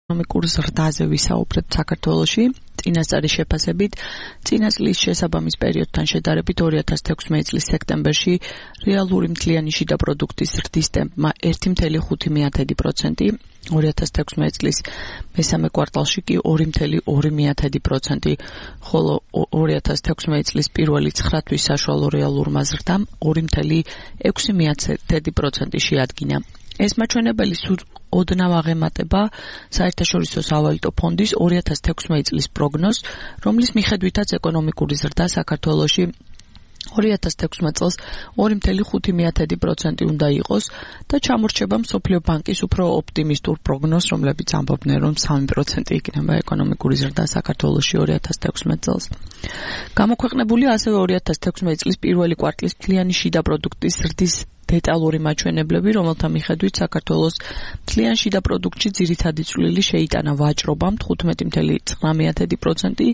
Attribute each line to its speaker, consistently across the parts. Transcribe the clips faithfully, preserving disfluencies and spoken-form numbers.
Speaker 1: ეკონომიკურ ზრდაზე ვისაუბრებთ საქართველოში. წინასწარი შეფასებით, წინა წლის შესაბამის პერიოდთან შედარებით ორი ათას თექვსმეტი წლის სექტემბერში რეალური მთლიანი შიდა პროდუქტის ზრდის ტემპმა ერთი კoma ხუთი პროცენტი, ორი ათას თექვსმეტი წლის მესამე კვარტალში კი ორი კoma ორი პროცენტი, ხოლო ორი ათას თექვსმეტი წლის პირველი ცხრა თვის საშუალო რეალურმა ზრდამ ორი კoma ექვსი პროცენტი შეადგინა. ეს მაჩვენებელი სულ ოდნავ აღემატება საერთაშორისო სავალუტო ფონდის ორი ათას თექვსმეტი წლის პროგნოზს, რომლის მიხედვითაც ეკონომიკური ზრდა საქართველოში ორი ათას თექვსმეტი წელს ორი კoma ხუთი პროცენტი უნდა იყოს და ჩამორჩება მსოფლიო ბანკის უფრო ოპტიმისტურ პროგნოზს, რომლებიც ამბობდნენ, რომ სამი პროცენტი იქნება ეკონომიკური ზრდა საქართველოში ორი ათას თექვსმეტი წელს. გამოქვეყნებულია ასევე ორი ათას თექვსმეტი წლის პირველი კვარტლის მთლიანი შიდა პროდუქტის ზრდის დეტალური მაჩვენებლები, რომელთა მიხედვით საქართველოს მთლიან შიდა პროდუქტში ძირითადი წვლილი შეიტანა ვაჭრობამ თხუთმეტი კoma ცხრამეტი პროცენტი,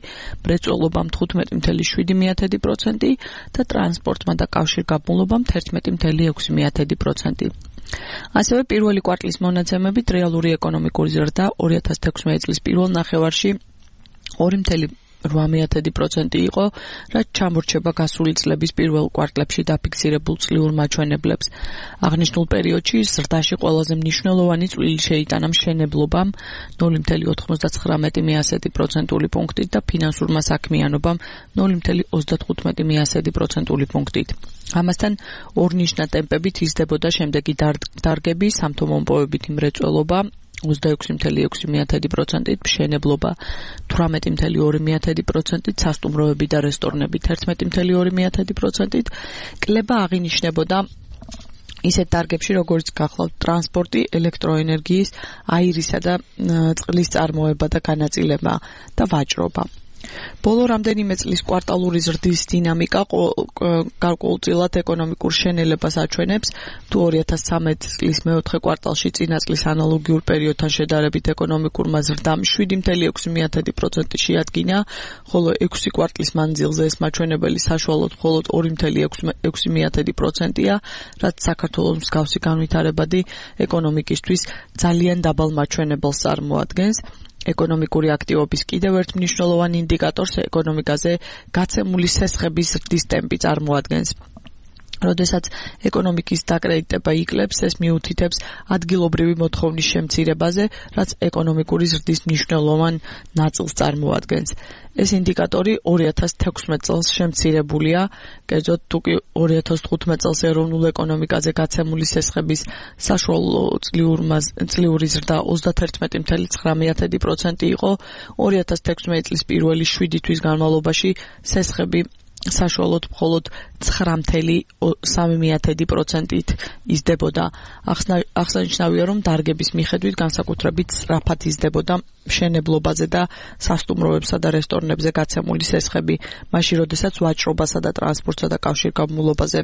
Speaker 1: მრეწველობამ თხუთმეტი კoma შვიდი პროცენტი და ტრანსპორტმა და კავშირგაბმულობამ თერთმეტი კoma ექვსი პროცენტი. ასევე პირველი კვარტლის მონაცემებით რეალური ეკონომიკური ზრდა ორი ათას თექვსმეტი წლის პირველ ნახევარში ორი კoma ორმეტი პროცენტი იყო, რაც ჩამორჩება გასული წლების პირველ კვარტლებში დაფიქსირებულ წლიურ მაჩვენებლებს. აღნიშნულ პერიოდში ზრდაში ყველაზე მნიშვნელოვანი წვლილი შეიტანა მშენებლობამ ნული კoma ოთხმოცდათხრამეტი პროცენტული პუნქტით და ფინანსურმა საქმიანობამ ნული კoma ოცდათხუთმეტი პროცენტული პუნქტით. ამასთან ორნიშნა ტემპებით იზრდებოდა შემდეგი დარგები: სამთო-მომპოვებითი მრეწველობა ოცდაექვსი კoma ექვსი პროცენტით, მშენებლობა თვრამეტი კoma ორი პროცენტით, სასტუმროები და რესტორნები თერთმეტი კoma ორი პროცენტით, კლება აღინიშნებოდა ისეთ დარგებში, როგორც გახლავთ ტრანსპორტი, ელექტროენერგიის, აირისა და წყლის წარმოება და განაწილება და ვაჭრობა. ბოლო რამდენიმე წლის კვარტალური ზრდის დინამიკა გარკვეულწილად ეკონომიკურ შენელებას აჩვენებს. თუ ორი ათას ცხრამეტი წლის მეოთხე კვარტალში წინა წლის ანალოგიურ პერიოდთან შედარებით ეკონომიკურმა ზრდამ შვიდი კoma ექვსი პროცენტი შეადგინა, ხოლო ექვსი კვარტლის მანძილზე ეს მაჩვენებელი საშუალოდ მხოლოდ ორი კoma ექვსი პროცენტია, რაც საქართველოს მსგავსი განვითარებადი ეკონომიკისთვის ძალიან დაბალ მაჩვენებელს წარმოადგენს. ეკონომიკური აქტივობის კიდევ ერთ მნიშვნელოვან ინდიკატორს ეკონომიკაზე გაცემული სესხების ზრდის ტემპი წარმოადგენს. როდესაც ეკონომიკის დაკრედიტება იკლებს, ეს მიუთითებს ადგილობრივი მოთხოვნის შემცირებაზე, რაც ეკონომიკური ზრდის მნიშვნელოვან ნაწილს წარმოადგენს. ეს ინდიკატორი ორი ათას თექვსმეტი წელს შემცირებულია, კერძოდ თუ კი ორი ათას თხუთმეტი წელს ეროვნულ ეკონომიკაზე გაცემული სესხების საშუალო წლიური ზრდა ოცდათერთმეტი კoma ცხრამეტი პროცენტი იყო, ორი ათას თექვსმეტი წლის პირველი შვიდი თვის განმავლობაში სესხები საშუალოდ მხოლოდ ცხრა კoma სამი პროცენტით იზრდებოდა. აღსანიშნავია, რომ დარგების მიხედვით განსაკუთრებით სწრაფად იზრდებოდა მშენებლობაზე და სასტუმროებსა და რესტორნებზე გაცემული სესხები, მაშინ როდესაც ვაჭრობასა და ტრანსპორტსა და კავშირგაბმულობაზე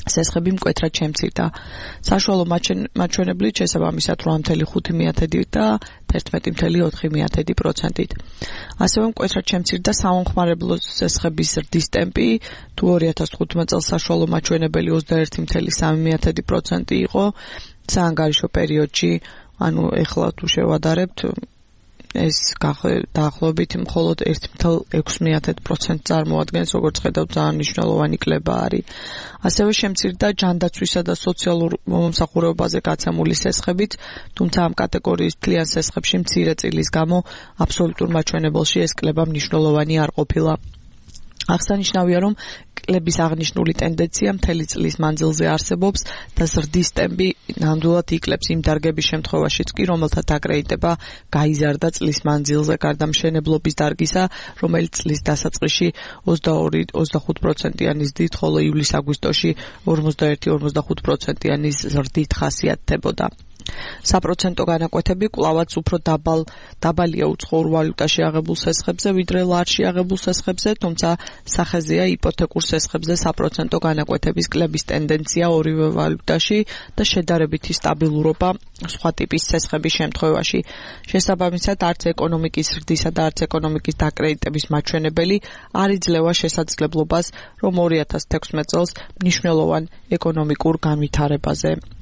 Speaker 1: სესხები მკვეთრად შემცირდა. საშუალო მაჩვენებლით შესაბამისად რვა კoma ხუთი და თერთმეტი კoma ოთხი პროცენტით. ასევე მკვეთრად შემცირდა სამომხმარებლო სესხების ზრდის ტემპი, თუ ორი ათას თხუთმეტი წელს საშუალო მაჩვენებელი ოცდაერთი კoma სამი პროცენტი იყო, საანგარიშო პერიოდში, ანუ ეხლა თუ შევადარებთ, ეს დაახლოებით მხოლოდ ერთი კoma ექვსი პროცენტი წარმოადგენს, როგორც ხედავთ, ძალიან მნიშვნელოვანი კლება არის. ასევე შემცირდა ჯანდაცვისა და სოციალურ მომსახურებაზე გაცემული სესხებიც, თუმცა ამ კატეგორიის მთლიან სესხებში მცირე წილის გამო აბსოლუტურ მაჩვენებელში ეს კლება მნიშვნელოვანი არ ყოფილა. აღსანიშნავია, რომ კლების აღნიშნული ტენდენცია მთელი წლის მანძილზე არსებობს და ზრდის ტემპი ნამდვილად იკლებს იმ დარგების შემთხვევაშიც კი, რომელთა დაკრედიტება გაიზარდა წლის მანძილზე, გარდა მშენებლობის დარგისა, რომელიც წლის დასაწყისში ოცდაორი ოცდახუთ პროცენტიანი ზრდით, ხოლო ივლის-აგვისტოში ორმოცდაერთი ორმოცდახუთ პროცენტიანი ზრდით ხასიათდებოდა. საპროცენტო განაკვეთები კვლავაც უფრო დაბალ დაბალია უცხოურ ვალუტაში აღებულ სესხებზე, ვიდრე ლარში აღებულ სესხებზე, თუმცა სახეზეა იპოთეკურ სესხებზე საპროცენტო განაკვეთების კლების ტენდენცია ორივე ვალუტაში და შედარებითი სტაბილურობა სხვა ტიპის სესხების შემთხვევაში. შესაბამისად, არც ეკონომიკის ზრდისა და არც ეკონომიკის დაკრედიტების მაჩვენებელი არ იძლევა შესაძლებლობას, რომ ორი ათას თექვსმეტი წელს მნიშვნელოვან ეკონომიკურ განვითარებაზე